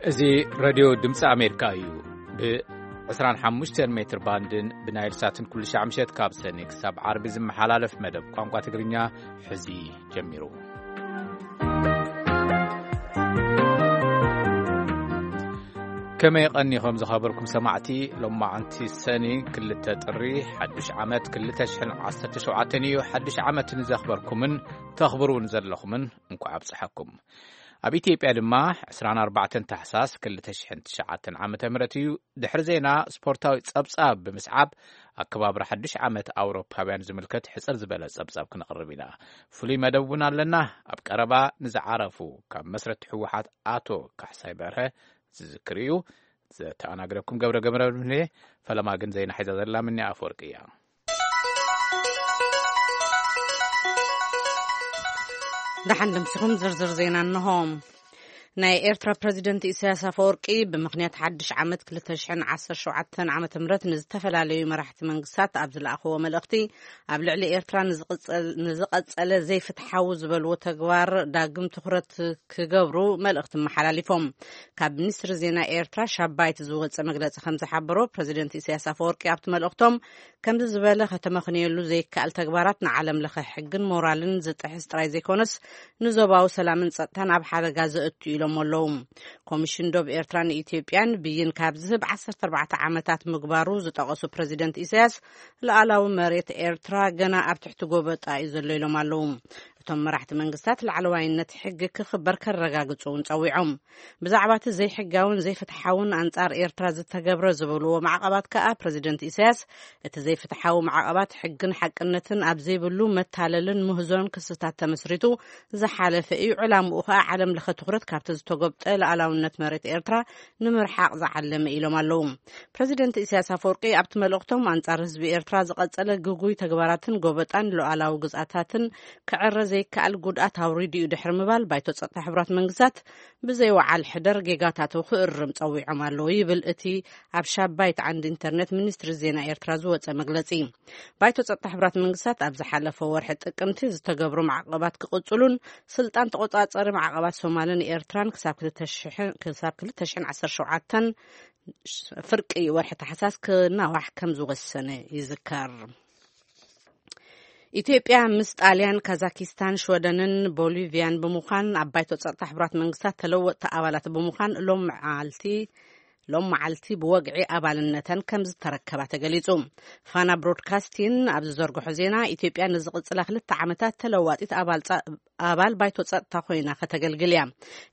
እዚ ሬድዮ ድምፂ ኣሜሪካ እዩ። ብ ዕስራን ሓሙሽተን ሜትር ባንድን ብናይል ሳትን ኩሉ ሻዕ ምሸት ካብ ሰኒ ክሳብ ዓርቢ ዝመሓላለፍ መደብ ቋንቋ ትግርኛ ሕዚ ጀሚሩ። ከመይ ቀኒኹም ዝኸበርኩም ሰማዕቲ? ሎማዓንቲ ሰኒ ክልተ ጥሪ ሓዱሽ ዓመት ክልተ ሽሕን ዓሰርተ ሸውዓተን እዩ። ሓዱሽ ዓመት ንዘኽበርኩምን ተኽብሩን ዘለኹምን እንኳዕ ኣብፀሐኩም። ኣብ ኢትዮጵያ ድማ ዕስራን ኣርባዕተን ታሕሳስ ክልተ ሽሕን ትሽዓተን ዓመተ ምህረት እዩ። ድሕሪ ዜና ስፖርታዊ ጸብጻብ ብምስዓብ ኣከባብራ ሓድሽ ዓመት ኣውሮፓውያን ዝምልከት ሕጽር ዝበለ ጸብጻብ ክነቕርብ ኢና። ፍሉይ መደብ እውን ኣለና። ኣብ ቀረባ ንዝዓረፉ ካብ መስረቲ ህወሓት ኣቶ ካሕሳይ በርሀ ዝዝክር እዩ። ዘተኣናግደኩም ገብረ ገመረብኔ። ፈለማ ግን ዜና ሒዛ ዘላ ምኒ ኣፈወርቂ እያ። ደሓን ደምሲኹም ዝርዝር ዜና እንሆ። ናይ ኤርትራ ፕረዚደንት ኢሳያስ ኣፈወርቂ ብምኽንያት ሓድሽ ዓመት ክልተ ሽሕን ዓሰርተ ሸውዓተን ዓመተ ምህረት ንዝተፈላለዩ መራሕቲ መንግስታት ኣብ ዝለኣኽዎ መልእኽቲ፣ ኣብ ልዕሊ ኤርትራ ንዝቕጸል-፣ ንዝቐጸለ ዘይፍትሓዊ ዝበልዎ ተግባር ዳግም ትኹረት ክገብሩ መልእኽቲ መሓላሊፎም። ካብ ሚኒስትሪ ዜና ኤርትራ ሻባይት ዝወጸ መግለጺ ከም ዝሓበሮ፣ ፕረዚደንት ኢሳያስ ኣፈወርቂ ኣብቲ መልእኽቶም፣ ከምዚ ዝበለ ከተመኽንየሉ ዘይከኣል ተግባራት ንዓለም ለኸ ሕግን ሞራልን ዝጥሕስ ጥራይ ዘይኮነስ፣ ንዞባዊ ሰላምን ጸጥታን ኣብ ሓደጋ ዘእቱ ኢሎም ኣለዉ። ኮሚሽን ዶብ ኤርትራን ኢትዮጵያን ብይን ካብ ዝህብ ዓሰርተ ኣርባዕተ ዓመታት ምግባሩ ዝጠቐሱ ፕረዚደንት ኢሳያስ፣ ሉዓላዊ መሬት ኤርትራ ገና ኣብ ትሕቲ ጎበጣ እዩ ዘሎ ኢሎም ኣለዉ። እቶም መራሕቲ መንግስታት ላዕለዋይነት ሕጊ ክኽበር ከረጋግጹ እውን ጸዊዖም። ብዛዕባ እቲ ዘይሕጋውን ዘይፍትሓውን ኣንጻር ኤርትራ ዝተገብረ ዝበልዎ ማዕቐባት ከኣ ፕረዚደንት ኢሳያስ፣ እቲ ዘይፍትሓዊ ማዕቐባት ሕግን ሓቅነትን ኣብ ዘይብሉ መታለልን ምህዞን ክስታት ተመስሪቱ ዝሓለፈ እዩ። ዕላምኡ ከኣ ዓለም ለኸ ትኹረት ካብቲ ዝተጎብጠ ሉዓላውነት መሬት ኤርትራ ንምርሓቕ ዝዓለመ ኢሎም ኣለዉ። ፕረዚደንት ኢሳያስ ኣፈወርቂ ኣብቲ መልእኽቶም፣ ኣንጻር ህዝቢ ኤርትራ ዝቐጸለ ግጉይ ተግባራትን ጎበጣን ሉዓላዊ ግዝኣታትን ክዕረ ዘይከኣል ጉድኣት ኣውሪዱ እዩ ድሕሪ ምባል፣ ባይቶ ጸጥታ ሕቡራት መንግስታት ብዘይ ወዓል ሕደር ጌጋታቱ ክእርም ጸዊዖም ኣለዉ ይብል እቲ ኣብ ሻባይት ዓንዲ ኢንተርኔት ሚኒስትሪ ዜና ኤርትራ ዝወጸ መግለጺ። ባይቶ ጸጥታ ሕቡራት መንግስታት ኣብ ዝሓለፈ ወርሒ ጥቅምቲ ዝተገብሩ ማዕቀባት ክቕጽሉን ስልጣን ተቆጻጸሪ ማዕቀባት ሶማልን ኤርትራን ክሳብ ክልተ ሽሕን፣ ክሳብ ክልተ ሽሕን ዓሰርተ ሸውዓተን ፍርቂ ወርሒ ታሕሳስ ክናዋሕ ከም ዝወሰነ ይዝከር። ኢትዮጵያ ምስ ጣልያን፣ ካዛኪስታን፣ ሽወደንን ቦሊቪያን ብምዃን ኣብ ባይቶ ጸጥታ ሕቡራት መንግስታት ተለወጥቲ ኣባላት ብምዃን ሎም መዓልቲ፣ ሎም መዓልቲ ብወግዒ ኣባልነተን ከም ዝተረከባ ተገሊጹ። ፋና ብሮድካስቲን ኣብ ዝዘርግሖ ዜና፣ ኢትዮጵያ ንዝቕጽላ ክልተ ዓመታት ተለዋጢት ኣባል ጸ-፣ ኣባል ባይቶ ጸጥታ ኮይና ከተገልግል እያ።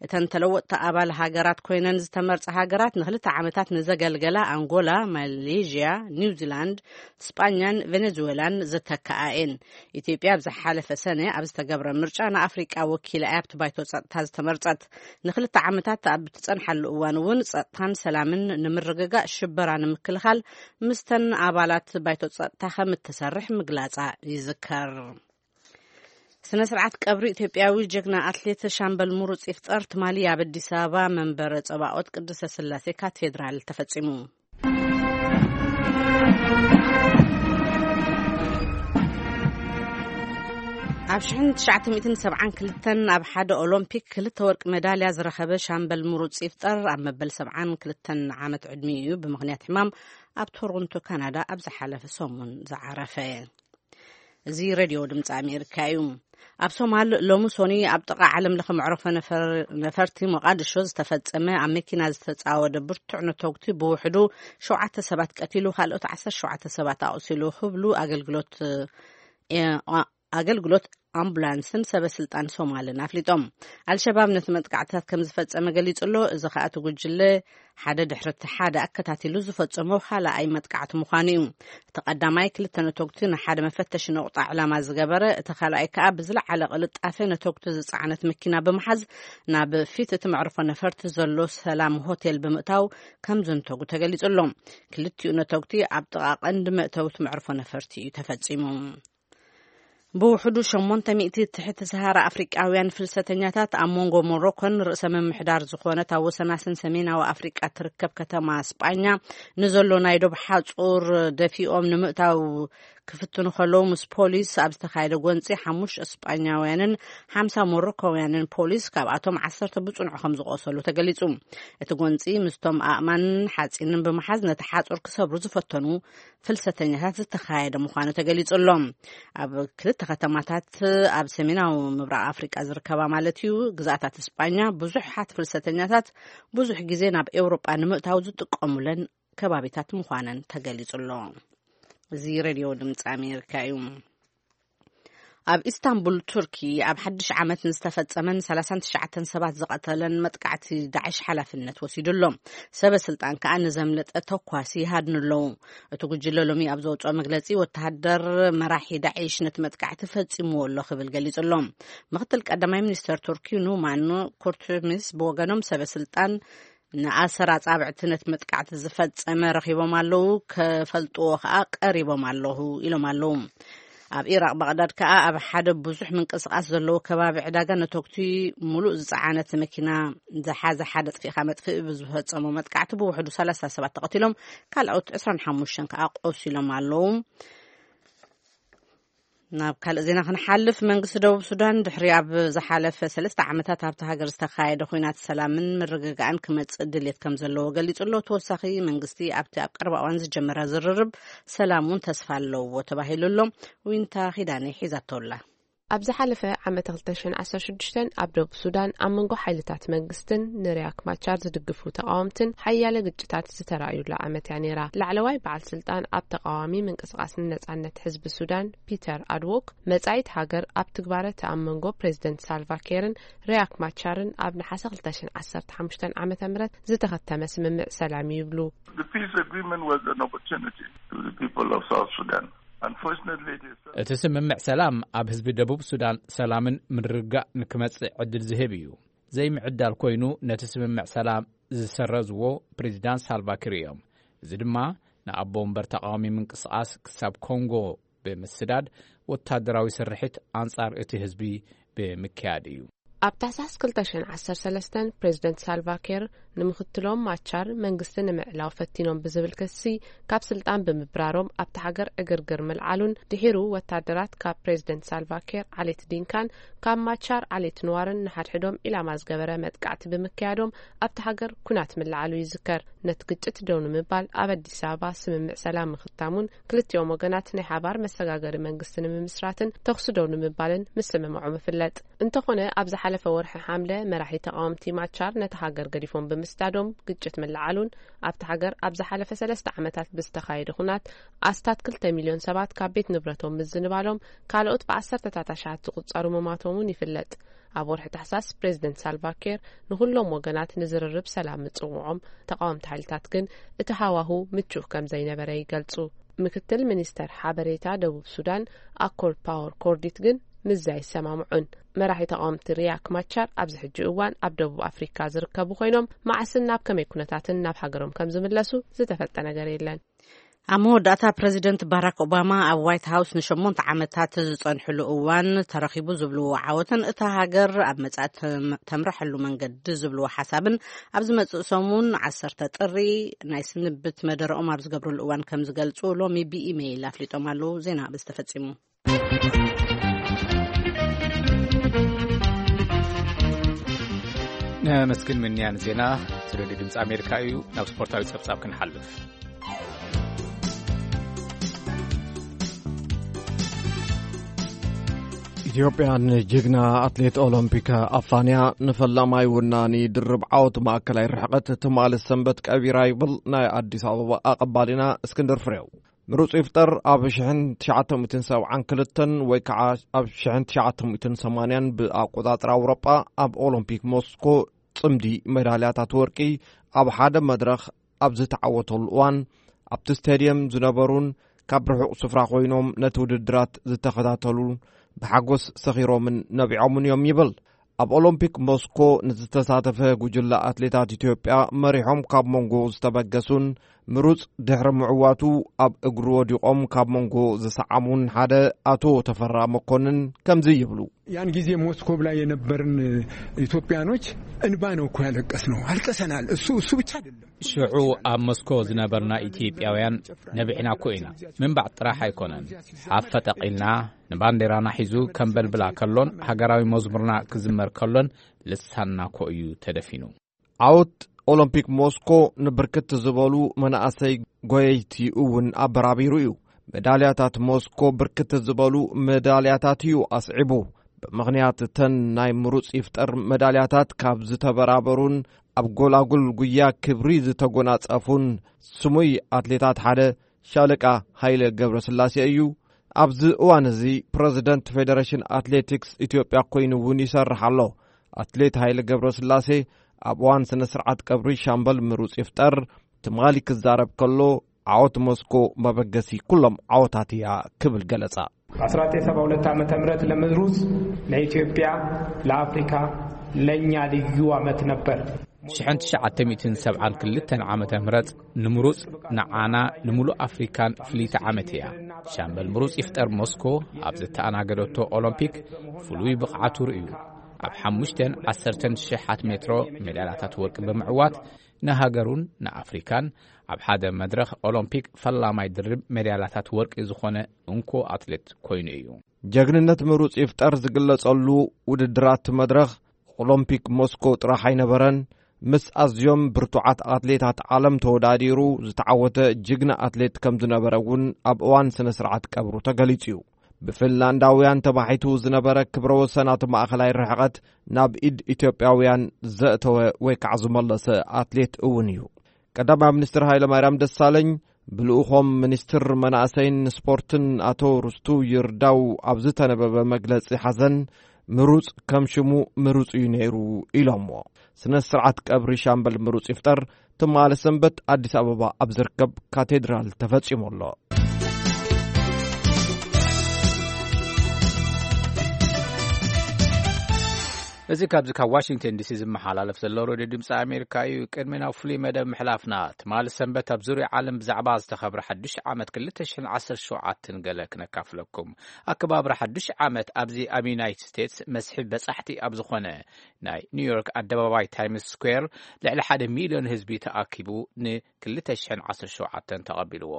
እተን ተለወጥቲ ኣባል ሃገራት ኮይነን ዝተመርጻ ሃገራት ንክልተ ዓመታት ንዘገልገላ ኣንጎላ፣ ማሌዥያ፣ ኒውዚላንድ፣ ስጳኛን ቬኔዙዌላን ዝተከኣ እየን። ኢትዮጵያ ኣብ ዝሓለፈ ሰነ ኣብ ዝተገብረ ምርጫ ንኣፍሪቃ ወኪላ እያ ኣብቲ ባይቶ ጸጥታ ዝተመርጸት። ንክልተ ዓመታት ኣብ ትጸንሓሉ እዋን እውን ጸጥታን ሰላምን ንምርግጋእ ሽበራ ንምክልኻል ምስተን ኣባላት ባይቶ ጸጥታ ከም እትሰርሕ ምግላጻ ይዝከር። ስነ ስርዓት ቀብሪ ኢትዮጵያዊ ጀግና ኣትሌት ሻምበል ምሩጽ ይፍጠር ትማሊ ኣብ ኣዲስ ኣበባ መንበረ ጸባኦት ቅድስተ ስላሴ ካቴድራል ተፈጺሙ። ኣብ ሽሕን ትሽዓተ ሚእትን ሰብዓን ክልተን ኣብ ሓደ ኦሎምፒክ ክልተ ወርቂ መዳልያ ዝረኸበ ሻምበል ምሩጽ ይፍጠር ኣብ መበል ሰብዓን ክልተን ዓመት ዕድሚኡ ብምኽንያት ሕማም ኣብ ቶሮንቶ ካናዳ ኣብ ዝሓለፈ ሰሙን ዝዓረፈ። እዚ ሬድዮ ድምፂ ኣሜሪካ እዩ። ኣብ ሶማል ሎሚ ሶኒ ኣብ ጥቓ ዓለም ለኸ መዕረፎ ነፈር-፣ ነፈርቲ ሞቃድሾ ዝተፈጸመ ኣብ መኪና ዝተጻወደ ብርቱዕ ነተጉቲ ብውሕዱ ሸውዓተ ሰባት ቀቲሉ፣ ካልኦት ዓሰርተ ሸውዓተ ሰባት ኣቑሲሉ ክብሉ ኣገልግሎት፣ እ፣ ኣ-፣ ኣገልግሎት ኣምቡላንስን ሰበ ስልጣን ሶማልን ኣፍሊጦም። ኣልሸባብ ነቲ መጥቃዕትታት ከም ዝፈጸመ ገሊጹ ኣሎ። እዚ ከኣ እቲ ጉጅለ ሓደ ድሕሪ እቲ ሓደ ኣከታቲሉ ዝፈጸሞ ካልኣይ መጥቃዕቲ ምዃኑ እዩ። እቲ ቀዳማይ ክልተ ነተጉቲ ንሓደ መፈተሺ ነቑጣ ዕላማ ዝገበረ፣ እቲ ካልኣይ ከኣ ብዝለዓለ ቅልጣፈ ነተጉቲ ዝጸዓነት መኪና ብምሓዝ ናብ ፊት እቲ መዕርፎ ነፈርቲ ዘሎ ሰላም ሆቴል ብምእታው ከም ዘንተጉ ተገሊጹ ኣሎ። ክልቲኡ ነተጉቲ ኣብ ጥቓ ቀንዲ መእተዊ እቲ መዕርፎ ነፈርቲ እዩ ተፈጺሙ። ብውሕዱ ሸሞንተ ሚእቲ ትሕቲ ሰሃራ ኣፍሪቃውያን ፍልሰተኛታት ኣብ መንጎ ሞሮኮን ርእሰ ምምሕዳር ዝኾነት ኣብ ወሰናስን ሰሜናዊ ኣፍሪቃ ትርከብ ከተማ ስጳኛ ንዘሎ ናይ ዶብ ሓጹር ደፊኦም ንምእታው ክፍትኑ ከለዉ፣ ምስ ፖሊስ ኣብ ዝተኻየደ ጎንጺ ሓሙሽተ ስጳኛውያንን ሓምሳ ሞሮኮውያንን ፖሊስ፣ ካብኣቶም ዓሰርተ ብጽኑዕ ከም ዝቖሰሉ ተገሊጹ። እቲ ጎንጺ ምስቶም ኣእማንን ሓጺንን ብምሓዝ ነቲ ሓጹር ክሰብሩ ዝፈተኑ ፍልሰተኛታት ዝተኻየደ ምዃኑ ተገሊጹ ኣሎ። ኣብ ክልተ ከተማታት ኣብ ሰሜናዊ ምብራቕ ኣፍሪቃ ዝርከባ ማለት እዩ፣ ግዝኣታት ስጳኛ ብዙሓት ፍልሰተኛታት ብዙሕ ግዜ ናብ ኤውሮጳ ንምእታው ዝጥቀሙለን ከባቢታት ምዃነን ተገሊጹ ኣሎ። እዚ ሬድዮ ድምፂ ኣሜሪካ እዩ። ኣብ ኢስታንቡል ቱርኪ ኣብ ሓድሽ ዓመት ንዝተፈጸመን ሰላሳን ትሽዓተን ሰባት ዝቐተለን መጥቃዕቲ ዳዕሽ ሓላፍነት ወሲዱ ኣሎ። ሰበ ስልጣን ከኣ ንዘምለጠ ተኳሲ ይሃድኑ ኣለዉ። እቲ ጉጅለ ሎሚ ኣብ ዘውፅኦ መግለፂ፣ ወተሃደር መራሒ ዳዕሽ ነቲ መጥቃዕቲ ፈጺምዎ ኣሎ ክብል ገሊጹ ኣሎ። ምክትል ቀዳማይ ሚኒስተር ቱርኪ ኑማን ኩርቱሚስ ብወገኖም፣ ሰበ ስልጣን ንኣሰር ኣጻብዕቲ ነቲ መጥቃዕቲ ዝፈጸመ ረኺቦም ኣለዉ፣ ከፈልጥዎ ከኣ ቀሪቦም ኣለዉ ኢሎም ኣለዉ። ኣብ ኢራቕ ባቕዳድ ከኣ ኣብ ሓደ ብዙሕ ምንቅስቓስ ዘለዎ ከባቢ ዕዳጋ ነተኩቲ ሙሉእ ዝጸዓነት መኪና ዝሓዘ ሓደ ጥፊእካ መጥፍኢ ብዝፈጸሞ መጥቃዕቲ ብውሕዱ ሰላሳ ሰባት ተቐቲሎም፣ ካልኦት ዕስራን ሓሙሽተን ከኣ ቆሲሎም ኣለዉ። ናብ ካልእ ዜና ክንሓልፍ፣ መንግስቲ ደቡብ ሱዳን ድሕሪ ኣብ ዝሓለፈ ሰለስተ ዓመታት ኣብቲ ሃገር ዝተኻየደ ኲናት ሰላምን ምርግጋእን ክመጽእ ድልየት ከም ዘለዎ ገሊጹ ኣሎ። ተወሳኺ መንግስቲ ኣብቲ ኣብ ቀረባ እዋን ዝጀመረ ዝርርብ ሰላም እውን ተስፋ ኣለዎ ተባሂሉ ኣሎ። ዊንታ ኺዳነ ሒዛቶ ኣላ። ኣብ ዝሓለፈ ዓመት ክልተ ሽሕን ዓሰርተ ሽዱሽተን ኣብ ደቡብ ሱዳን ኣብ መንጎ ሓይልታት መንግስትን ንሪያክ ማቻር ዝድግፉ ተቃወምትን ሓያለ ግጭታት ዝተራእዩላ ዓመት እያ ነይራ። ላዕለዋይ በዓል ስልጣን ኣብ ተቃዋሚ ምንቅስቃስ ንነጻነት ህዝቢ ሱዳን ፒተር ኣድዎክ፣ መጻኢት ሃገር ኣብ ትግባረ እቲ ኣብ መንጎ ፕሬዚደንት ሳልቫ ኬርን ሪያክ ማቻርን ኣብ ነሓሰ ክልተ ሽሕን ዓሰርተ ሓሙሽተን ዓመተ ምህረት ዝተኸተመ ስምምዕ ሰላም እዩ ይብሉ። The peace agreement was an opportunity to the people of South Sudan. Unfortunately, it is እቲ ስምምዕ ሰላም ኣብ ህዝቢ ደቡብ ሱዳን ሰላምን ምርግጋእ ንክመጽእ ዕድል ዝህብ እዩ። ዘይምዕዳል ኮይኑ ነቲ ስምምዕ ሰላም ዝሰረዝዎ ፕሬዚዳንት ሳልቫኪር እዮም። እዚ ድማ ንኣቦ ወንበር ተቃዋሚ ምንቅስቃስ ክሳብ ኮንጎ ብምስዳድ ወታደራዊ ስርሒት ኣንጻር እቲ ህዝቢ ብምክያድ እዩ። ኣብ ታሕሳስ ክልተ ሽሕን ዓሰርተ ሰለስተን ፕሬዚደንት ሳልቫኪር ንምክትሎም ማቻር መንግስቲ ንምዕላው ፈቲኖም ብዝብል ክሲ ካብ ስልጣን ብምብራሮም ኣብቲ ሃገር ዕግርግር ምልዓሉን ድሒሩ ወታደራት ካብ ፕሬዚደንት ሳልቫኪር ዓሌት ዲንካን ካብ ማቻር ዓሌት ንዋርን ንሓድሕዶም ኢላማ ዝገበረ መጥቃዕቲ ብምክያዶም ኣብቲ ሃገር ኩናት ምልዓሉ ይዝከር። ነቲ ግጭት ደው ንምባል ኣብ ኣዲስ ኣበባ ስምምዕ ሰላም ምኽታሙን ክልቲኦም ወገናት ናይ ሓባር መሰጋገሪ መንግስቲ ንምምስራትን ተኹሲ ደው ንምባልን ምስምምዖም ይፍለጥ። እንተኾነ ኣብ ዝሓለፈ ወርሒ ሓምለ መራሒ ተቃወምቲ ማቻር ነቲ ሃገር ገዲፎም ብምስዳዶም ግጭት ምልዓሉን ኣብቲ ሃገር ኣብ ዝሓለፈ ሰለስተ ዓመታት ብዝተኻየደ ኩናት ኣስታት ክልተ ሚልዮን ሰባት ካብ ቤት ንብረቶም ምዝንባሎም ካልኦት ብዓሰርተታት ኣሽሓት ዝቁጸሩ ምማቶም እውን ይፍለጥ። ኣብ ወርሒ ታሕሳስ ፕሬዚደንት ሳልቫኪር ንኹሎም ወገናት ንዝርርብ ሰላም ምጽውዖም፣ ተቃወምቲ ሓይልታት ግን እቲ ሃዋሁ ምቹእ ከም ዘይነበረ ይገልጹ። ምክትል ሚኒስተር ሓበሬታ ደቡብ ሱዳን ኣኮል ፓወር ኮርዲት ግን ምዚ ኣይሰማምዑን። መራሒ ተቃወምቲ ሪያክ ማቻር ኣብዚ ሕጂ እዋን ኣብ ደቡብ ኣፍሪካ ዝርከቡ ኮይኖም መዓስን ናብ ከመይ ኩነታትን ናብ ሃገሮም ከም ዝምለሱ ዝተፈልጠ ነገር የለን። ኣብ መወዳእታ ፕረዚደንት ባራክ ኦባማ ኣብ ዋይት ሃውስ ንሸሞንተ ዓመታት ዝጸንሕሉ እዋን ተረኺቡ ዝብልዎ ዓወትን እታ ሃገር ኣብ መጻኢ ተም-፣ ተምርሐሉ መንገዲ ዝብልዎ ሓሳብን ኣብ ዝመጽእ ሰሙን ዓሰርተ ጥሪ ናይ ስንብት መደረኦም ኣብ ዝገብርሉ እዋን ከም ዝገልጹ ሎሚ ብኢሜይል ኣፍሊጦም ኣለዉ። ዜና በዚ ተፈጺሙ። ነመስግን ምንያን ዜና እቲ ሬድዮ ድምፂ ኣሜሪካ እዩ። ናብ ስፖርታዊ ጸብጻብ ክንሓልፍ። ኢትዮጵያ ንጅግና ኣትሌት ኦሎምፒክ ኣፋንያ ንፈላማይ ወናኒ ድርብ ዓወት ማእከላይ ርሕቀት ትማሊ ሰንበት ቀቢራ ይብል ናይ ኣዲስ ኣበባ ኣቐባሊና እስክንድር ፍሬው። ምሩፅ ይፍጠር ኣብ ሽሕን ትሽዓተ ሚእትን ሰብዓን ክልተን ወይ ከዓ ኣብ ሽሕን ትሽዓተ ሚእትን ሰማንያን ብኣቆጻጽራ ኣውሮጳ ኣብ ኦሎምፒክ ሞስኮ ጽምዲ ሜዳልያታት ወርቂ ኣብ ሓደ መድረኽ ኣብ ዝተዓወተሉ እዋን፣ ኣብቲ ስቴድየም ዝነበሩን ካብ ርሑቕ ስፍራ ኮይኖም ነቲ ውድድራት ዝተኸታተሉን ብሓጎስ ሰኺሮምን ነቢዖምን እዮም ይብል። ኣብ ኦሎምፒክ ሞስኮ ንዝተሳተፈ ጉጅለ ኣትሌታት ኢትዮጵያ መሪሖም ካብ መንጎ ዝተበገሱን ምሩጽ ድሕሪ ምዕዋቱ ኣብ እግሩ ወዲቖም ካብ መንጎ ዝሰዓሙን ሓደ ኣቶ ተፈራ መኮንን ከምዚ ይብሉ። ያን ጊዜ ሞስኮቭ ላይ የነበርን ኢትዮጵያኖች እንባ ነው እኮ ያለቀስነው። አልቀሰናል። እሱ፣ እሱ ብቻ አይደለም። ሽዑ ኣብ ሞስኮ ዝነበርና ኢትዮጵያውያን ነቢዕና እኮ ኢና። ምንባዕ ጥራሕ ኣይኮነን። ሓፍ ፈጠቕ ኢልና ንባንዴራና ሒዙ ከንበልብላ ከሎን ሃገራዊ መዝሙርና ክዝመር ከሎን ልሳንና እኮ እዩ ተደፊኑ። ዓወት ኦሎምፒክ ሞስኮ ንብርክት ዝበሉ መናእሰይ ጎየይቲ እውን ኣበራቢሩ እዩ። መዳልያታት ሞስኮ ብርክት ዝበሉ መዳልያታት እዩ ኣስዒቡ። ብምኽንያት እተን ናይ ምሩጽ ይፍጠር መዳልያታት ካብ ዝተበራበሩን ኣብ ጎላጉል ጉያ ክብሪ ዝተጎናጸፉን ስሙይ ኣትሌታት ሓደ ሻለቃ ሃይለ ገብረስላሴ እዩ። ኣብዚ እዋን እዚ ፕረዚደንት ፌደሬሽን ኣትሌቲክስ ኢትዮጵያ ኮይኑ እውን ይሰርሕ ኣሎ። ኣትሌት ሃይለ ገብረስላሴ ኣብ እዋን ስነ ስርዓት ቀብሪ ሻምበል ምሩጽ ይፍጠር ትማሊ ክዛረብ ከሎ፣ ዓወት ሞስኮ መበገሲ ኩሎም ዓወታት እያ ክብል ገለጻ። በአስራ ዘጠኝ ሰባ ሁለት ዓመተ ምህረት ለምሩጽ ለኢትዮጵያ፣ ለአፍሪካ፣ ለእኛ ልዩ ዓመት ነበር። ሽሕን ትሽዓተ ሚእትን ሰብዓን ክልተን ዓመተ ምህረት ንምሩጽ ንዓና ንምሉእ ኣፍሪካን ፍልይቲ ዓመት እያ። ሻምበል ምሩጽ ይፍጠር ሞስኮ ኣብ ዝተኣናገደቶ ኦሎምፒክ ፍሉይ ብቕዓቱ ርእዩ። ኣብ ሓሙሽተን ዓሰርተን ሽሓት ሜትሮ ሜዳልያታት ወርቂ ብምዕዋት ንሃገሩን ንኣፍሪካን ኣብ ሓደ መድረኽ ኦሎምፒክ ፈላማይ ድርብ ሜዳልያታት ወርቂ ዝኾነ እንኮ ኣትሌት ኮይኑ እዩ። ጀግንነት ምሩጽ ይፍጠር ዝግለጸሉ ውድድራት መድረኽ ኦሎምፒክ ሞስኮ ጥራሕ ኣይነበረን። ምስ ኣዝዮም ብርቱዓት ኣትሌታት ዓለም ተወዳዲሩ ዝተዓወተ ጅግና ኣትሌት ከም ዝነበረ እውን ኣብ እዋን ስነ ስርዓት ቀብሩ ተገሊጹ እዩ። ብፊንላንዳውያን ተባሒቱ ዝነበረ ክብረ ወሰን ኣብ ማእኸላይ ርሕቐት ናብ ኢድ ኢትዮጵያውያን ዘእተወ ወይ ከዓ ዝመለሰ ኣትሌት እውን እዩ። ቀዳማይ ሚኒስትር ሃይለማርያም ደሳለኝ ብልኡኾም ሚኒስትር መናእሰይን ስፖርትን ኣቶ ርስቱ ይርዳው ኣብ ዝተነበበ መግለጺ ሓዘን፣ ምሩጽ ከም ሽሙ ምሩጽ እዩ ነይሩ ኢሎምዎ። ስነ ስርዓት ቀብሪ ሻምበል ምሩጽ ይፍጠር ትማሊ ሰንበት ኣዲስ ኣበባ ኣብ ዝርከብ ካቴድራል ተፈጺሙ ኣሎ። እዚ ካብዚ ካብ ዋሽንግተን ዲሲ ዝመሓላለፍ ዘሎ ሬድዮ ድምፂ ኣሜሪካ እዩ። ቅድሚ ናብ ፍሉይ መደብ ምሕላፍና፣ ትማሊ ሰንበት ኣብ ዙርያ ዓለም ብዛዕባ ዝተኸብረ ሓዱሽ ዓመት ክልተ ሽሕን ዓሰርተ ሸውዓተን ገለ ክነካፍለኩም። ኣከባብራ ሓዱሽ ዓመት ኣብዚ ኣብ ዩናይትድ ስቴትስ መስሕብ በጻሕቲ ኣብ ዝኾነ ናይ ኒውዮርክ ኣደባባይ ታይምስ ስኩዌር ልዕሊ ሓደ ሚልዮን ህዝቢ ተኣኪቡ ን ክልተ ሽሕን ዓሰርተ ሸውዓተን ተቐቢልዎ።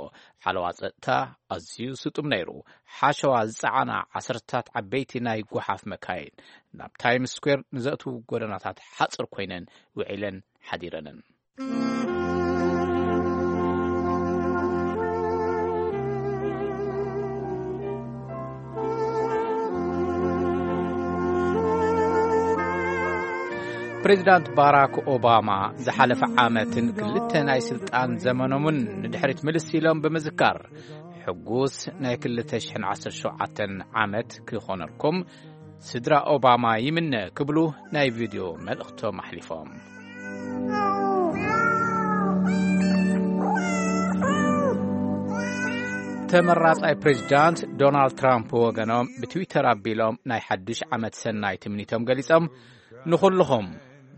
ሓለዋ ጸጥታ ኣዝዩ ስጡም ነይሩ። ሓሸዋ ዝጸዓና ዓሰርታት ዓበይቲ ናይ ጓሓፍ መካይን ናብ ታይምስ ስኩዌር ንዘእትዉ ጎደናታት ሓጽር ኮይነን ውዒለን ሓዲረንን። ፕሬዚዳንት ባራክ ኦባማ ዝሓለፈ ዓመትን ክልተ ናይ ስልጣን ዘመኖምን ንድሕሪት ምልስ ኢሎም ብምዝካር፣ ሕጉስ ናይ ክልተ ሽሕን ዓሰርተ ሸውዓተን ዓመት ክኾነልኩም ስድራ ኦባማ ይምነ ክብሉ ናይ ቪድዮ መልእኽቶም ኣሕሊፎም። ተመራጻይ ፕሬዚዳንት ዶናልድ ትራምፕ ወገኖም ብትዊተር ኣቢሎም ናይ ሓድሽ ዓመት ሰናይ ትምኒቶም ገሊጾም፣ ንኹልኹም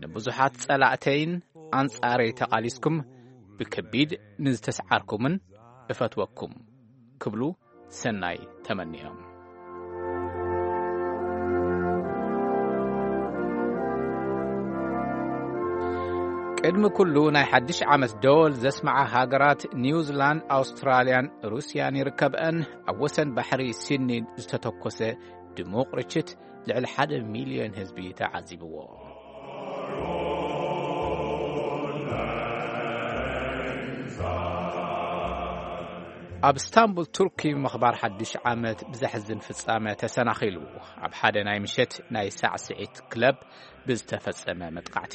ንብዙሓት ጸላእተይን ኣንጻረይ ተቓሊስኩም ብከቢድ ንዝተስዓርኩምን እፈትወኩም ክብሉ ሰናይ ተመኒዮም። ቅድሚ ኩሉ ናይ ሓድሽ ዓመት ደወል ዘስምዓ ሃገራት ኒውዚላንድ፣ ኣውስትራልያን ሩስያን ይርከብአን። ኣብ ወሰን ባሕሪ ሲድኒ ዝተተኮሰ ድሙቕ ርችት ልዕሊ ሓደ ሚልዮን ህዝቢ ተዓዚብዎ። ኣብ ስታንቡል ቱርኪ ምኽባር ሓድሽ ዓመት ብዘሕዝን ፍጻመ ተሰናኺሉ። ኣብ ሓደ ናይ ምሸት ናይ ሳዕስዒት ክለብ ብዝተፈጸመ መጥቃዕቲ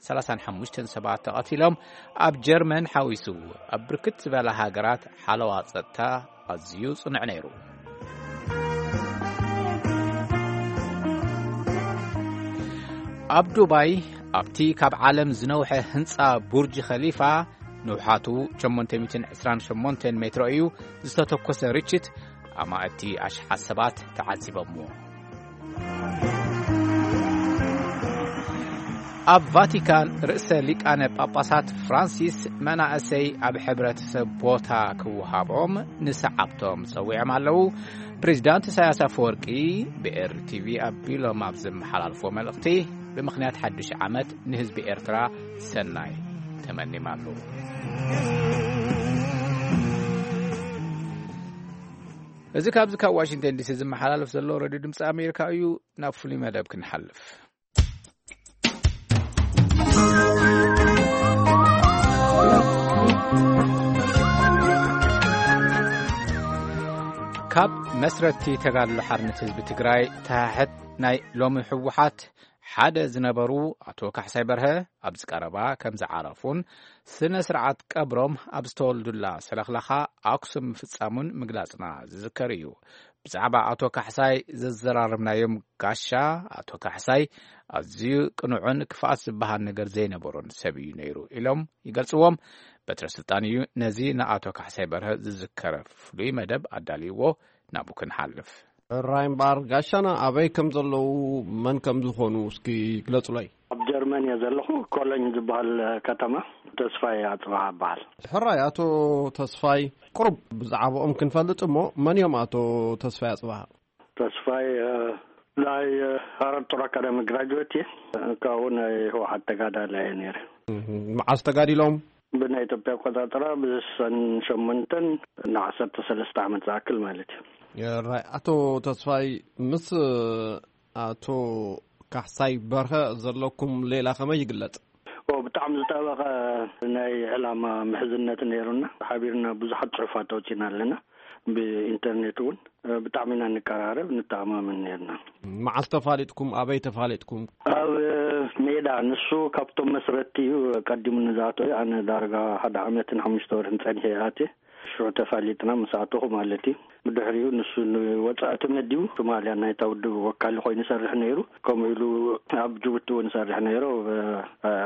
ሰላሳን ሓሙሽተን ሰባት ተቐቲሎም። ኣብ ጀርመን ሓዊሱ ኣብ ብርክት ዝበላ ሃገራት ሓለዋ ጸጥታ ኣዝዩ ጽኑዕ ነይሩ። ኣብ ዱባይ ኣብቲ ካብ ዓለም ዝነውሐ ህንጻ ቡርጅ ኸሊፋ ንውሓቱ ሸሞንተ ሚእትን ዕስራን ሸሞንተን ሜትሮ እዩ ዝተተኮሰ ርችት ኣማእቲ ኣሽሓት ሰባት ተዓዚቦምዎ። ኣብ ቫቲካን ርእሰ ሊቃነ ጳጳሳት ፍራንሲስ መናእሰይ ኣብ ሕብረተሰብ ቦታ ክወሃቦም ንሰዓብቶም ጸዊዖም ኣለዉ። ፕሬዚዳንት ኢሳያስ ኣፈወርቂ ብኤር ቲቪ ኣቢሎም ኣብ ዘመሓላልፎ መልእኽቲ፣ ብምኽንያት ሓድሽ ዓመት ንህዝቢ ኤርትራ ሰናይ ተመኒም ኣለዉ። እዚ ካብዚ ካብ ዋሽንግተን ዲሲ ዝመሓላለፍ ዘሎ ሬድዮ ድምፂ ኣሜሪካ እዩ። ናብ ፍሉይ መደብ ክንሓልፍ። ካብ መስረቲ ተጋድሎ ሓርነት ህዝቢ ትግራይ ተሓሕት ናይ ሎሚ ህወሓት ሓደ ዝነበሩ ኣቶ ካሕሳይ በርሀ ኣብዚ ቀረባ ከም ዝዓረፉን ስነ ስርዓት ቀብሮም ኣብ ዝተወልዱላ ሰለኽላኻ ኣክሱም ምፍጻሙን ምግላጽና ዝዝከር እዩ። ብዛዕባ ኣቶ ካሕሳይ ዘዘራረብናዮም ጋሻ፣ ኣቶ ካሕሳይ ኣዝዩ ቅኑዕን ክፍኣት ዝበሃል ነገር ዘይነበሮን ሰብ እዩ ነይሩ ኢሎም ይገልጽዎም። በትረ ስልጣን እዩ ነዚ ንኣቶ ካሕሳይ በርሀ ዝዝከረ ፍሉይ መደብ ኣዳልይዎ። ናብኡ ክንሓልፍ። ሕራይ እምበኣር፣ ጋሻና ኣበይ ከም ዘለዉ፣ መን ከም ዝኾኑ እስኪ ግለጹለይ። ኣብ ጀርመን እየ ዘለኹ። ኮሎኝ ዝበሃል ከተማ። ተስፋይ ኣጽብሃ እበሃል። ሕራይ ኣቶ ተስፋይ፣ ቁሩብ ብዛዕባኦም ክንፈልጥ እሞ፣ መን እዮም ኣቶ ተስፋይ ኣጽብሃ? ተስፋይ፣ እ፣ ናይ፣ እ፣ ሃረር ጦር ኣካዳሚ ግራጁዌት እየ። ካብኡ ናይ ህወሓት ተጋዳላይ እየ ነይረ። እህ፣ መዓስ ተጋዲሎም? ብናይ ኢትዮጵያ ኣቆጻጽራ ብስሳን ሸሞንተን ንዓሰርተ ሰለስተ ዓመት ዝኣክል ማለት እዩ። ራይ፣ ኣቶ ተስፋይ፣ ምስ ኣቶ ካሕሳይ በርሀ ዘለኩም ሌላ ከመይ ይግለጽ? ኦ፣ ብጣዕሚ ዝጠበቐ ናይ ዕላማ ምሕዝነት ነይሩና። ሓቢርና ብዙሓት ጽሑፋት ኣውጺና ኣለና። ብኢንተርኔት እውን ብጣዕሚ ኢና ንቀራረብ፣ ንተኣማመን ነይርና። መዓስ ተፋሊጥኩም? ኣበይ ተፋሊጥኩም? ኣብ ሜዳ። ንሱ ካብቶም መስረቲ እዩ፣ ቀዲሙ ንዝኣተወ። ኣነ ዳርጋ ሓደ ዓመትን ሓሙሽተ ወርሕን ጸኒሐ እየ ኣትየ። ሽዑ ተፋሊጥና፣ ምስ ኣተኹ ማለት እዩ። ብድሕሪኡ ንሱ ንወጻኢ ተመዲቡ፣ ሶማልያ ናይታ ውድብ ወካሊ ኮይኑ ይሰርሕ ነይሩ። ከምኡ ኢሉ ኣብ ጅቡቲ እውን ይሰርሕ ነይሩ፣ ኣብ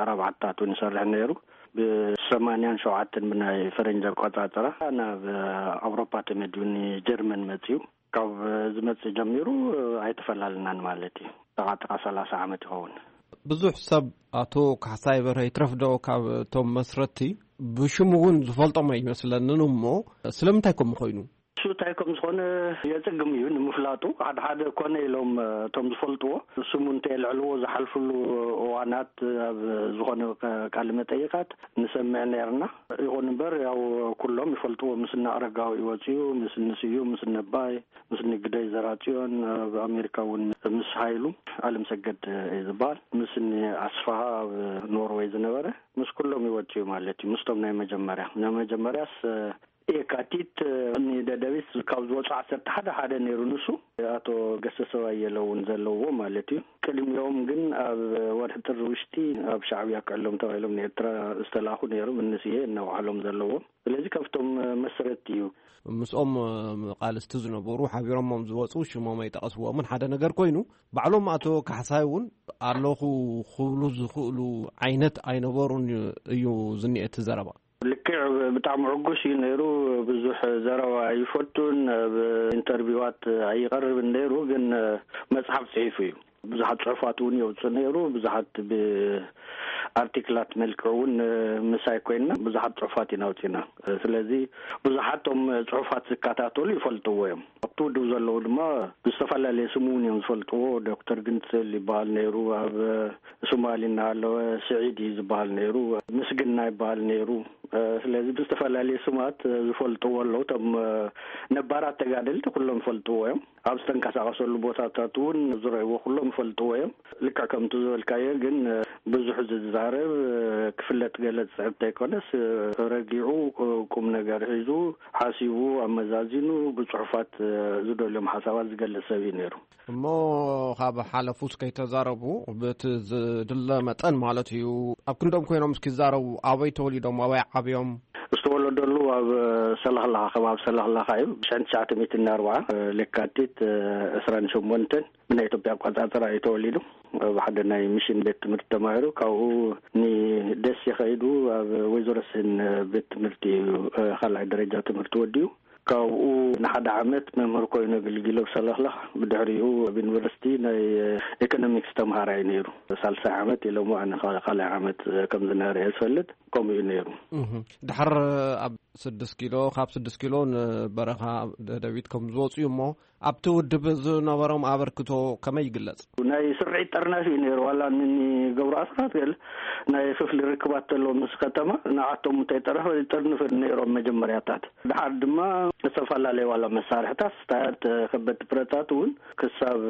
ኣረብ ዓድታት እውን ይሰርሕ ነይሩ። ብሰማንያን ሸውዓተን ብናይ ፈረንጂ ኣቆጻጽራ ናብ ኣውሮፓ ተመዲቡ ንጀርመን መጺኡ። ካብ ዝመጽእ ጀሚሩ ኣይተፈላለናን ማለት እዩ። ጥቓ ጥቓ ሰላሳ ዓመት ይኸውን። ብዙሕ ሰብ ኣቶ ካሕሳይ በርሀ ይትረፍ ዶ ካብ እቶም መስረቲ ብሽሙ እውን ዝፈልጦም ኣይመስለንን እሞ ስለምንታይ ከምኡ ኮይኑ? እሱ እንታይ ከም ዝኾነ የጽግም እዩ ንምፍላጡ። ሓደ ሓደ ኮነ ኢሎም እቶም ዝፈልጥዎ ስሙ እንተየልዕልዎ ዝሓልፍሉ እዋናት ኣብ ዝኾነ ቃለ መጠይቓት ንሰምዕ ነይርና። ይኹን እምበር ያው ኩሎም ይፈልጥዎ። ምስ እነ ኣረጋዊ ወፂኡ፣ ምስ እነ ስዩም፣ ምስ እነ ኣባይ፣ ምስ እነ ግደይ ዘራፅዮን፣ ኣብ ኣሜሪካ እውን ምስ ሃይሉ ኣለምሰገድ እዩ ዝበሃል፣ ምስ እነ ኣስፍሃ ኣብ ኖርወይ ዝነበረ፣ ምስ ኩሎም ይወፅኡ ማለት እዩ። ምስቶም ናይ መጀመርያ፣ ናይ መጀመርያስ የካቲት፣ እኒ ደደቢት ካብ ዝወፁ ዓሰርተ ሓደ ሓደ ነይሩ ንሱ። ኣቶ ገሰሰ ኣየለ እውን ዘለዎ ማለት እዩ። ቅድሚኦም ግን ኣብ ወርሒ ጥሪ ውሽጢ ኣብ ሻዕብያ ክዕሎም ተባሂሎም ንኤርትራ ዝተላኹ ነይሮም፣ እንስዬ እናውዓሎም ዘለዎም። ስለዚ ካብቶም መስረቲ እዩ። ምስኦም ቃልስቲ ዝነበሩ፣ ሓቢሮሞም ዝወፁ፣ ሽሞም ኣይጠቐስዎምን ሓደ ነገር ኮይኑ፣ ባዕሎም ኣቶ ካሕሳይ እውን ኣለኹ ክብሉ ዝኽእሉ ዓይነት ኣይነበሩን እዩ ዝኒኤ እቲ ዘረባ። ልክዕ፣ ብጣዕሚ ዕጉስ እዩ ነይሩ። ብዙሕ ዘረባ ኣይፈቱን፣ ኣብ ኢንተርቪዋት ኣይቐርብን ነይሩ፣ ግን መጽሓፍ ጽሒፉ እዩ። ብዙሓት ጽሑፋት እውን የውጽእ ነይሩ። ብዙሓት ብኣርቲክላት መልክዕ እውን ምሳይ ኮይንና ብዙሓት ጽሑፋት ኢና ኣውጺና። ስለዚ ብዙሓት ቶም ጽሑፋት ዝከታተሉ ይፈልጥዎ እዮም። ኣብቲ ውድብ ዘለዉ ድማ ብዝተፈላለየ ስሙ እውን እዮም ዝፈልጥዎ። ዶክተር ግንጽል ይበሃል ነይሩ፣ ኣብ ሶማሊ እናሃለወ ስዒድ እዩ ዝበሃል ነይሩ፣ ምስግና ይበሃል ነይሩ። ስለዚ ብዝተፈላለየ ስማት ዝፈልጥዎ ኣለዉ። እቶም ነባራት ተጋደልቲ ኩሎም ይፈልጥዎ እዮም። ኣብ ዝተንቀሳቐሰሉ ቦታታት እውን ዝረእይዎ ኩሎም ይፈልጥዎ እዮም። ልክዕ ከምቲ ዝበልካዮ ግን ብዙሕ ዝዛረብ፣ ክፍለጥ ገለ ዝጽዕብ እንተይኮነስ ረጊዑ ቁም ነገር ሒዙ ሓሲቡ ኣመዛዚኑ ብጽሑፋት ዝደልዮም ሓሳባት ዝገልጽ ሰብ እዩ ነይሩ። እሞ ካብ ሓለፉስ ከይተዛረቡ፣ በቲ ዝድለ መጠን ማለት እዩ፣ ኣብ ክንዶም ኮይኖም እስኪ ይዛረቡ፣ ኣበይ ተወሊዶም፣ ኣበይ ዓብዮም? ዝተወለደሉ ኣብ ሰላኽላኻ፣ ከባቢ ሰላኽላኻ እዩ። ብ ትሽዓተ ሚእቲ ኣርባዓ ለካቲት ዕስራን ሸሞንተን ብናይ ኢትዮጵያ ኣቆጻጽራ እዩ ተወሊዱ። ኣብ ሓደ ናይ ሚሽን ቤት ትምህርቲ ተማሂሩ፣ ካብኡ ንደሴ ከይዱ ኣብ ወይዘሮ ስህን ቤት ትምህርቲ እዩ ካልኣይ ደረጃ ትምህርቲ ወዲኡ። ካብኡ ንሓደ ዓመት መምህር ኮይኑ ኣገልጊሉ ኣብ ሰለኽለኽ፣ ብድሕሪኡ ኣብ ዩኒቨርሲቲ ናይ ኢኮኖሚክስ ተምሃራይ ነይሩ። ሳልሳይ ዓመት ኢሎሞ፣ ኣነ ኸ-፣ ካልኣይ ዓመት ከም ዝነበረ እየ ዝፈልጥ። ከምኡ እዩ ነይሩ። እህ፣ ድሓር ኣብ ስድስት ኪሎ፣ ካብ ስድስት ኪሎ ንበረኻ ደደቢት ከም ዝወፁ እዩ እሞ፣ ኣብቲ ውድብ ዝነበሮም ኣበርክቶ ከመይ ይግለጽ? ናይ ስርዒት ጠርናፊ እዩ ነይሩ። ዋላ ንገብሩ ኣስራት ገለ ናይ ክፍሊ ርክባት ተሎ ምስ ከተማ፣ ንዓቶም እንታይ ጠረፈ ይጠርንፍ ነይሮም መጀመርያታት። ድሓር ድማ ዝተፈላለዩ ዋላ መሳርሕታት፣ ስታያት፣ ከበድቲ ብረታት እውን ክሳብ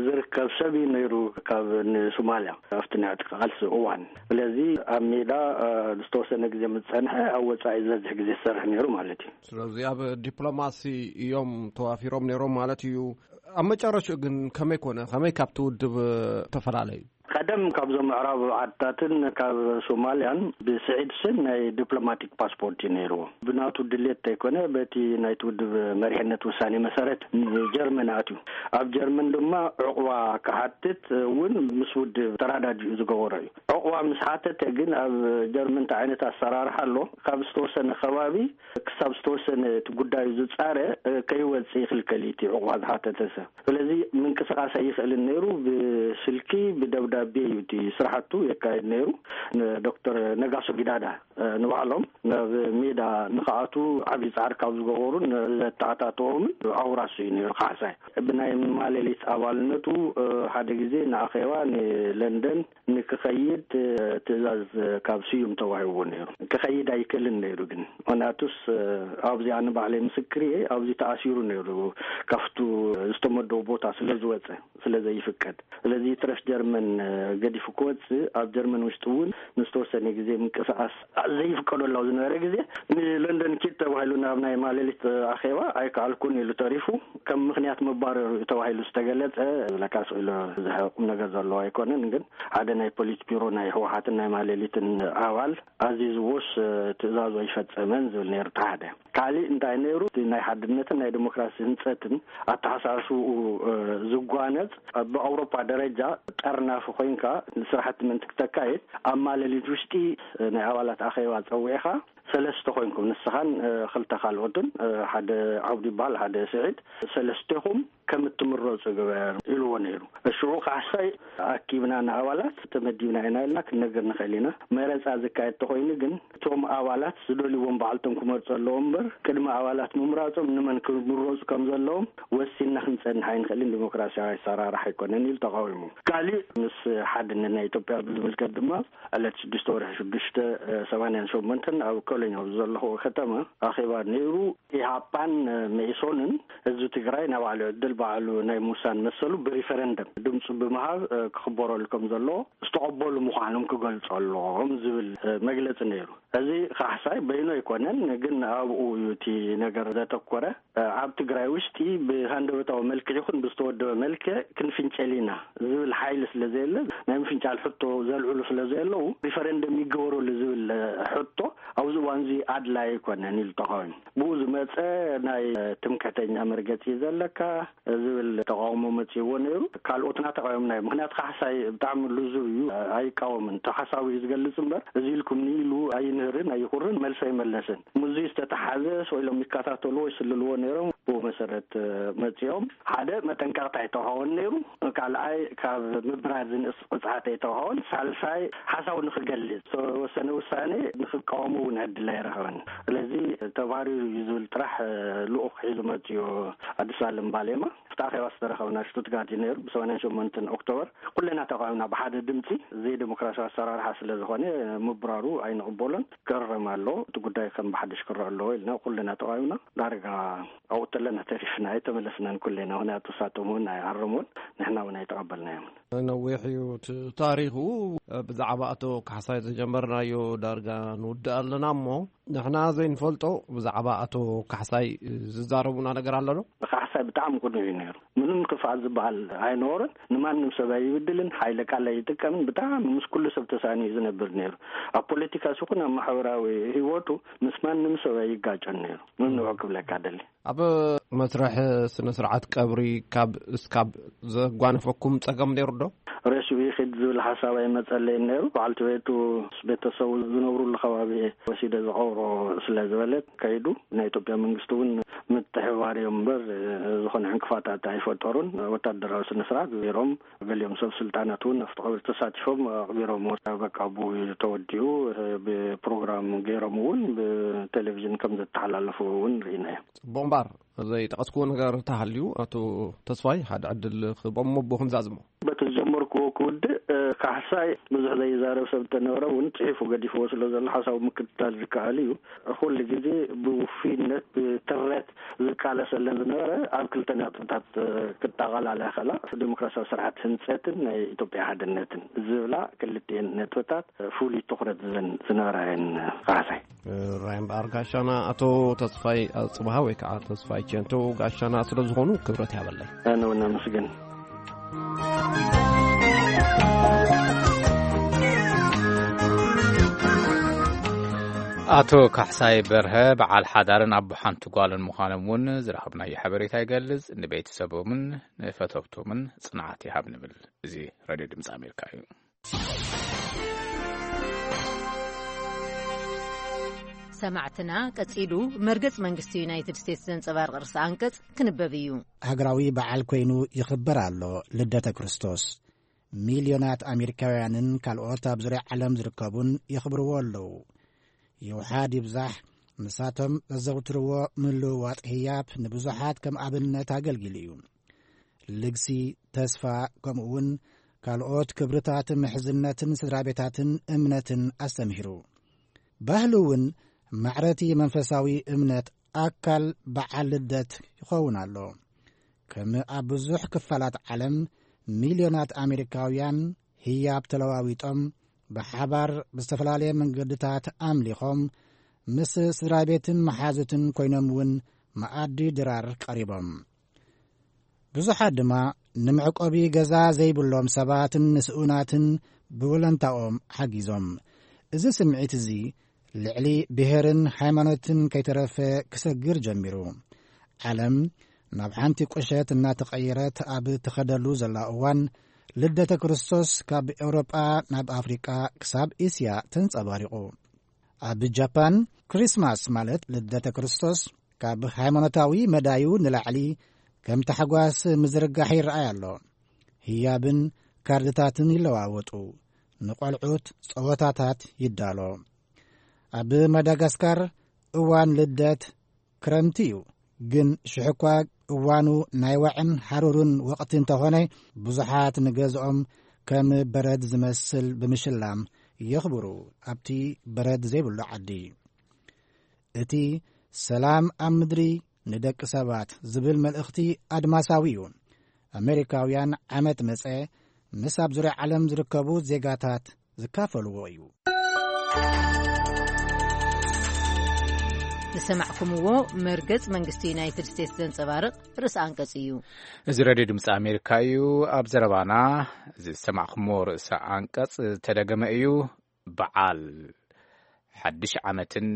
ዝርከብ ሰብ እዩ ነይሩ ካብ ንሶማልያ ኣብቲ ናይ ዕጥቂ ቃልሲ እዋን። ስለዚ ኣብ ሜዳ፣ እ፣ ዝተወሰነ ግዜ ምስ ጸንሐ፣ ኣብ ወጻኢ ዝበዝሕ ግዜ ዝሰርሕ ነይሩ ማለት እዩ። ስለዚ ኣብ ዲፕሎማሲ እዮም ተዋፊሮም ነይሮም ማለት እዩ። ኣብ መጨረሽኡ ግን ከመይ ኮነ? ከመይ ካብቲ ውድብ ተፈላለዩ? ቀደም ካብዞም ምዕራብ ዓድታትን ካብ ሶማልያን ብስዒድ ስን ናይ ዲፕሎማቲክ ፓስፖርት እዩ ነይርዎ። ብናቱ ድሌት እንተይኮነ በቲ ናይቲ ውድብ መሪሕነት ውሳኔ መሰረት ንጀርመን ኣትዩ። ኣብ ጀርመን ድማ ዕቑባ ክሓትት እውን ምስ ውድብ ተራዳዲኡ ዝገበሮ እዩ። ዕቑባ ምስ ሓተተ ግን ኣብ ጀርመን እንታይ ዓይነት ኣሰራርሓ ኣሎ? ካብ ዝተወሰነ ከባቢ ክሳብ ዝተወሰነ እቲ ጉዳዩ ዝጻረ፣ እ፣ ከይወጽእ ይኽልከል እዩ እቲ ዕቑባ ዝሓተተ ሰብ። ስለዚ ምንቅስቓስ ኣይኽእልን ነይሩ። ብስልኪ፣ ብደብዳቤ እዩ እቲ ስራሕቱ የካይድ ነይሩ። ንዶክተር ነጋሶ ጊዳዳ፣ እ፣ ንባዕሎም ናብ ሜዳ ንኽኣቱ ዓብዪ ጻዕሪ ካብ ዝገበሩን ዘተኣታተዎምን ኣውራሱ እዩ ነይሩ ካሕሳይ። ብናይ ማሌሊት ኣባልነቱ፣ እ፣ ሓደ ግዜ ንኣኼባ ንለንደን ንክኸይድ፣ እ፣ ትእዛዝ ካብ ስዩም ተዋሂብዎ ነይሩ። ክኸይድ ኣይክእልን ነይሩ ግን። ምኽንያቱስ፣ እ፣ ኣብዚ ኣነ ባዕለይ ምስክር እየ፣ ኣብዚ ተኣሲሩ ነይሩ፣ ካብቱ ዝተመደቦ ቦታ ስለ ዝወጸ፣ ስለ ዘይፍቀድ። ስለዚ ትረፍ ጀርመን፣ እ፣ ገዲፉ ክወጽእ፣ ኣብ ጀርመን ውሽጢ እውን ንዝተወሰነ ግዜ ምንቅስቓስ ዘይፍቀደሉ ኣብ ዝነበረ ግዜ፣ ንለንደን ኪድ ተባሂሉ ናብ ናይ ማሌሊት ኣኼባ ኣይከኣልኩን ኢሉ ተሪፉ። ከም ምኽንያት መባረሩ ተባሂሉ ዝተገለጸ፣ ዝብለካ ስቕ ኢሉ ዝሕቕ ቁም ነገር ዘለዎ ኣይኮነን። ግን ሓደ ናይ ፖሊት ቢሮ ናይ ህወሓትን ናይ ማሌሊትን ኣባል ኣዚዝዎስ፣ እ፣ ትእዛዙ ኣይፈጸመን ዝብል ነይሩ፣ እቲ ሓደ። ካሊእ እንታይ ነይሩ? እቲ ናይ ሓድነትን ናይ ዲሞክራሲ ህንጸትን ኣተሓሳስብኡ፣ እ፣ ዝጓነጽ፣ ብኣውሮፓ ደረጃ ጠርናፊ ኮይንካ ንስራሕቲ ምእንቲ ክተካይድ፣ ኣብ ማለሊት ውሽጢ፣ እ፣ ናይ ኣባላት ኣኼባ ጸዊዕኻ፣ ሰለስተ ኮይንኩም፣ ንስኻን፣ እ፣ ክልተ ካልኦትን፣ እ፣ ሓደ ዓብዱ ይበሃል፣ ሓደ ስዒድ፣ ሰለስቴኹም ከም እትምረጹ ግበር ኢልዎ ነይሩ። ሽዑ ካሕሳይ ኣኪብና ንኣባላት ተመዲብና ኢና ኢልና ክንነግር ንኽእል ኢና። መረጻ ዝካየድ ተኾይኑ ግን እቶም ኣባላት ዝደልይዎም ባዕልቶም ክመርጹ ኣለዎም እምበር ቅድሚ ኣባላት ምምራጾም ንመን ክምረጹ ከም ዘለዎም ወሲንና ክንጸንሕ ኣይንኽእልን፣ ዲሞክራሲያዊ ኣሰራርሓ ኣይኮነን ኢሉ ተቓዊሙ። ካሊእ ምስ ሓድነት ናይ ኢትዮጵያ ብዝምልከት ድማ ዕለት ሽዱሽተ ወርሒ ሽዱሽተ ሰማንያን ሸሞንተን ኣብ ኮሎኝ ኣብ ዘለኹዎ ከተማ ኣኼባ ነይሩ። ኢሃፓን መኢሶንን ህዝቢ ትግራይ ናይ ባዕሉ ዕድል ባዕሉ ናይ ምውሳን መሰሉ ብሪፈረንደም ድምፁ ብምሃብ ክኽበረሉ ከም ዘለዎ ዝተቐበሉ ምዃኖም ክገልፁ ኣለዎም ዝብል መግለፂ ነይሩ። እዚ ካሕሳይ በይኑ ኣይኮነን፣ ግን ኣብኡ እዩ እቲ ነገር ዘተኮረ። ኣብ ትግራይ ውሽጢ ብሃንደበታዊ መልክዕ ይኹን ብዝተወደበ መልክዕ ክንፍንጨል ኢና ዝብል ሓይሊ ስለ ዘየለ፣ ናይ ምፍንጫል ሕቶ ዘልዕሉ ስለ ዘየለዉ፣ ሪፈረንደም ይገበረሉ ዝብል ሕቶ ኣብዚ እዋን እዚ ኣድላይ ኣይኮነን ኢሉ ተቃዊሙ። ብኡ ዝመፀ ናይ ትምክሕተኛ መርገፂ ዘለካ ዝብል ተቃውሞ መፅእዎ ነይሩ። ካልኦትና ተቃዊምና እዩ። ምክንያቱ ካሕሳይ ብጣዕሚ ልዙብ እዩ፣ ኣይቃወምን። ተሓሳዊ እዩ ዝገልፅ እምበር እዚ ኢልኩም ንኢሉ ኣይንህርን ኣይኹርን መልሲ ኣይመለስን። ምስዚ ዝተተሓዘ ስቕ ኢሎም ይከታተልዎ ይስልልዎ ነይሮም። ብኡ መሰረት መፅኦም ሓደ መጠንቀቕታ ኣይተውሃቦን ነይሩ። ካልኣይ ካብ ምብራር ዝንእስ ቅፅዓት ኣይተውሃቦን። ሳልሳይ ሓሳቡ ንክገልፅ ዝተወሰነ ውሳኔ ንክቃወሙ እውን ዕድል ኣይረኸበን። ስለዚ ተባሪሩ እዩ ዝብል ጥራሕ ልኡኽ ሒዙ መፅዮ ኣዲስ ኣለም ባሌማ። ኣብቲ ኣኼባ ዝተረኸብና ሽቱትጋርት እዩ ነይሩ። ብሰማንያን ሸሞንተን ኦክቶበር ኩለና ተቃዊምና ብሓደ ድምፂ። ዘይዴሞክራሲያዊ ኣሰራርሓ ስለ ዝኾነ ምብራሩ ኣይንቕበሎን፣ ክእረም ኣለዎ፣ እቲ ጉዳይ ከም ብሓድሽ ክረአ ኣለዎ ኢልና ኩለና ተቃዊምና። ዳርጋ ኣብኡ ተለና ተሪፍና፣ ኣይተመለስናን ኩለና። ምክንያቱ ንሳቶም እውን ኣይኣረሙን፣ ንሕና እውን ኣይተቐበልናዮምን። ነዊሕ እዩ እቲ ታሪኹ። ብዛዕባ ኣቶ ካሕሳይ ዝጀመርናዮ ዳርጋ ንውድእ ኣለና እሞ፣ ንሕና ዘይንፈልጦ ብዛዕባ ኣቶ ካሕሳይ ዝዛረቡና ነገር ኣሎ ዶ? ካሕሳይ ብጣዕሚ ቅኑዕ እዩ ነይሩ። ምንም ክፍኣት ዝበሃል ኣይነበሮን። ንማንም ሰብ ኣይብድልን፣ ሓይለ ቃል ኣይጥቀምን። ብጣዕሚ ምስ ኩሉ ሰብ ተሳንዩ እዩ ዝነብር ነይሩ። ኣብ ፖለቲካስ ይኹን ኣብ ማሕበራዊ ህይወቱ ምስ ማንም ሰብ ኣይጋጨን ነይሩ። ምንዑ ክብለካ ደሊ። ኣብ መስርሕ ስነ ስርዓት ቀብሪ ካብ እስካብ ዘጓነፈኩም ጸገም ነይሩ ዶ? ሬስኡ ይኺድ ዝብል ሓሳብ ኣይመጸለይን ነይሩ። በዓልቲ ቤቱ ምስ ቤተሰቡ ዝነብሩሉ ከባቢ ወሲደ ዝቐብሮ ስለ ዝበለት ከይዱ። ናይ ኢትዮጵያ መንግስቲ እውን ምትሕብባር እዮም እምበር ዝኾነ ዕንቅፋታት ኣይፈጠሩን። ወታደራዊ ስነ ስርዓት ገይሮም፣ ገሊኦም ሰብ ስልጣናት እውን ኣብቲ ቀብሪ ተሳቲፎም ኣቕቢሮም። በቃ ብኡ ተወዲኡ። ብፕሮግራም ገይሮም እውን ብቴሌቪዥን ከም ዘተሓላለፉ እውን ርኢና እዮም። ጽቡቕ እምበር ዘይጠቐስክዎ ነገር ተሃልዩ ኣቶ ተስፋይ ሓደ ዕድል ክህቦም እሞ ብኡ ክንዛዝሞ። በቲ ዝጀመርክዎ ክውድእ፣ እ፣ ካሕሳይ ብዙሕ ዘይዛረብ ሰብ እንተነበረ እውን ጽሒፉ ገዲፍዎ ስለ ዘሎ ሓሳቡ ምክትታል ዝከኣል እዩ። ኩሉ ግዜ ብውፉይነት ብትረት ዝቃለሰለን ዝነበረ ኣብ ክልተ ነጥብታት፣ እ፣ ክጠቓላላ ይኽእላ። ዲሞክራሲያዊ ስርዓት ህንጸትን ናይ ኢትዮጵያ ሓድነትን ዝብላ ክልቲኤን ነጥብታት ፍሉይ ትኹረት ዝን-፣ ዝነበራ እየን። ካሕሳይ። ራይ እምበኣር ጋሻና ኣቶ ተስፋይ ኣጽብሃ ወይ ከዓ ተስፋይ ቸንቶ ጋሻና ስለ ዝኾኑ ክብረት ያበለይ። ኣነ እውን ኣመስግን። ኣቶ ካሕሳይ በርሀ በዓል ሓዳርን ኣቦ ሓንቲ ጓልን ምዃኖም እውን ዝረኸብናዮ ሓበሬታ ይገልጽ። ንቤተሰቦምን ንፈተውቶምን ጽንዓት ይሃብ ንብል። እዚ ሬድዮ ድምፂ ኣሜሪካ እዩ። ሰማዕትና፣ ቀጺሉ መርገጽ መንግስቲ ዩናይትድ ስቴትስ ዘንጸባርቕ ርእሰ ኣንቀጽ ክንበብ እዩ። ሃገራዊ በዓል ኮይኑ ይኽበር ኣሎ ልደተ ክርስቶስ። ሚልዮናት ኣሜሪካውያንን ካልኦት ኣብ ዙርያ ዓለም ዝርከቡን የኽብርዎ ኣለዉ። ይውሓድ ይብዛሕ፣ ንሳቶም ዘዘውትርዎ ምልውዋጥ ህያብ ንብዙሓት ከም ኣብነት ኣገልጊሉ እዩ። ልግሲ፣ ተስፋ፣ ከምኡውን ካልኦት ክብርታት ምሕዝነትን ስድራ ቤታትን እምነትን ኣስተምሂሩ። ባህሊ እውን ማዕረቲ መንፈሳዊ እምነት ኣካል በዓል ልደት ይኸውን ኣሎ። ከም ኣብ ብዙሕ ክፋላት ዓለም ሚልዮናት ኣሜሪካውያን ህያብ ተለዋዊጦም ብሓባር ብዝተፈላለየ መንገድታት ኣምሊኾም ምስ ስድራ ቤትን መሓዙትን ኮይኖም እውን መኣዲ ድራር ቀሪቦም። ብዙሓት ድማ ንመዕቆቢ ገዛ ዘይብሎም ሰባትን ንስኡናትን ብወለንታኦም ሓጊዞም። እዚ ስምዒት እዚ ልዕሊ ብሄርን ሃይማኖትን ከይተረፈ ክሰግር ጀሚሩ። ዓለም ናብ ሓንቲ ቁሸት እናተቐየረት ኣብ ትኸደሉ ዘላ እዋን፣ ልደተ ክርስቶስ ካብ ኤውሮጳ ናብ ኣፍሪቃ ክሳብ እስያ ተንጸባሪቑ። ኣብ ጃፓን፣ ክሪስማስ ማለት ልደተ ክርስቶስ ካብ ሃይማኖታዊ መዳዩ ንላዕሊ ከም ታሕጓስ ምዝርጋሕ ይረኣይ ኣሎ። ህያብን ካርድታትን ይለዋወጡ። ንቖልዑት ጸወታታት ይዳሎ። ኣብ ማዳጋስካር እዋን ልደት ክረምቲ እዩ፣ ግን ሽሕኳ እዋኑ ናይ ዋዕን ሓሩርን ወቕቲ እንተኾነ፣ ብዙሓት ንገዝኦም ከም በረድ ዝመስል ብምሽላም የኽብሩ ኣብቲ በረድ ዘይብሉ ዓዲ። እቲ ሰላም ኣብ ምድሪ ንደቂ ሰባት ዝብል መልእኽቲ ኣድማሳዊ እዩ። ኣሜሪካውያን ዓመት መጸ ምስ ኣብ ዙርያ ዓለም ዝርከቡ ዜጋታት ዝካፈልዎ እዩ። ዝሰማዕኩምዎ መርገጽ መንግስቲ ዩናይትድ ስቴትስ ዘንጸባርቕ ርእሰ ኣንቀጽ እዩ። እዚ ሬድዮ ድምፂ ኣሜሪካ እዩ። ኣብ ዘረባና ዝሰማዕኩምዎ ርእሰ ኣንቀጽ ዝተደገመ እዩ። በዓል ሓድሽ ዓመትን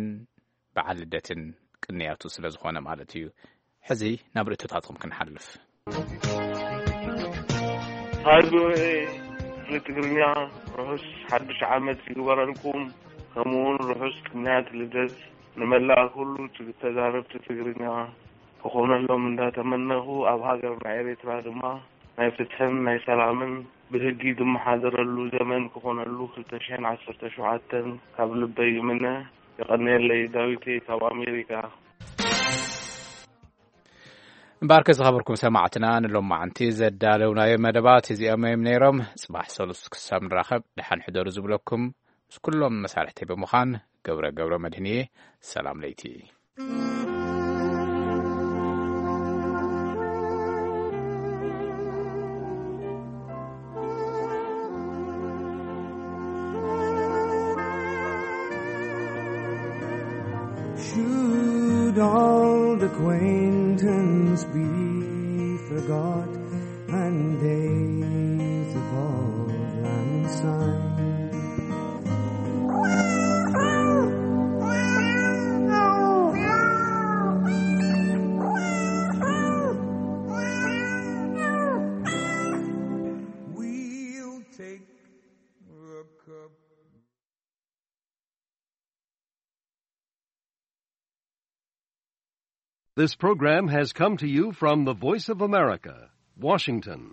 በዓል ልደትን ቅንያቱ ስለ ዝኾነ ማለት እዩ። ሕዚ ናብ ርእቶታትኩም ክንሓልፍ። ሃይ ቪ ኦ ኤ ንትግርኛ ርሑስ ሓድሽ ዓመት ይግበረልኩም። ከምኡውን ርሑስ ቅንያት ልደት ንመላእ ኩሉ ትግ-፣ ተዛረብቲ ትግርኛ ክኾነሎም እንዳተመነኹ፣ ኣብ ሃገርና ኤርትራ ድማ ናይ ፍትሕን ናይ ሰላምን ብህጊ ዝመሓደረሉ ዘመን ክኾነሉ ክልተ ሽሕን ዓሰርተ ሸውዓተን ካብ ልበይ ይምነ። የቐንየለይ። ዳዊተይ ካብ ኣሜሪካ። እምበኣርከ ዝኸበርኩም ሰማዕትና፣ ንሎማዓንቲ ዘዳለውናዮ መደባት እዚኦም እዮም ነይሮም። ጽባሕ ሰሉስ ክሳብ ንራኸብ ደሓን ሕደሩ ዝብለኩም ምስ ኩሎም መሳርሕተይ ብምዃን ገብረ ገብረ መድህንየ፣ ሰላም ለይቲ። Should all acquaintance be forgot and days evolve and sigh? This program has come to you from the Voice of America, Washington.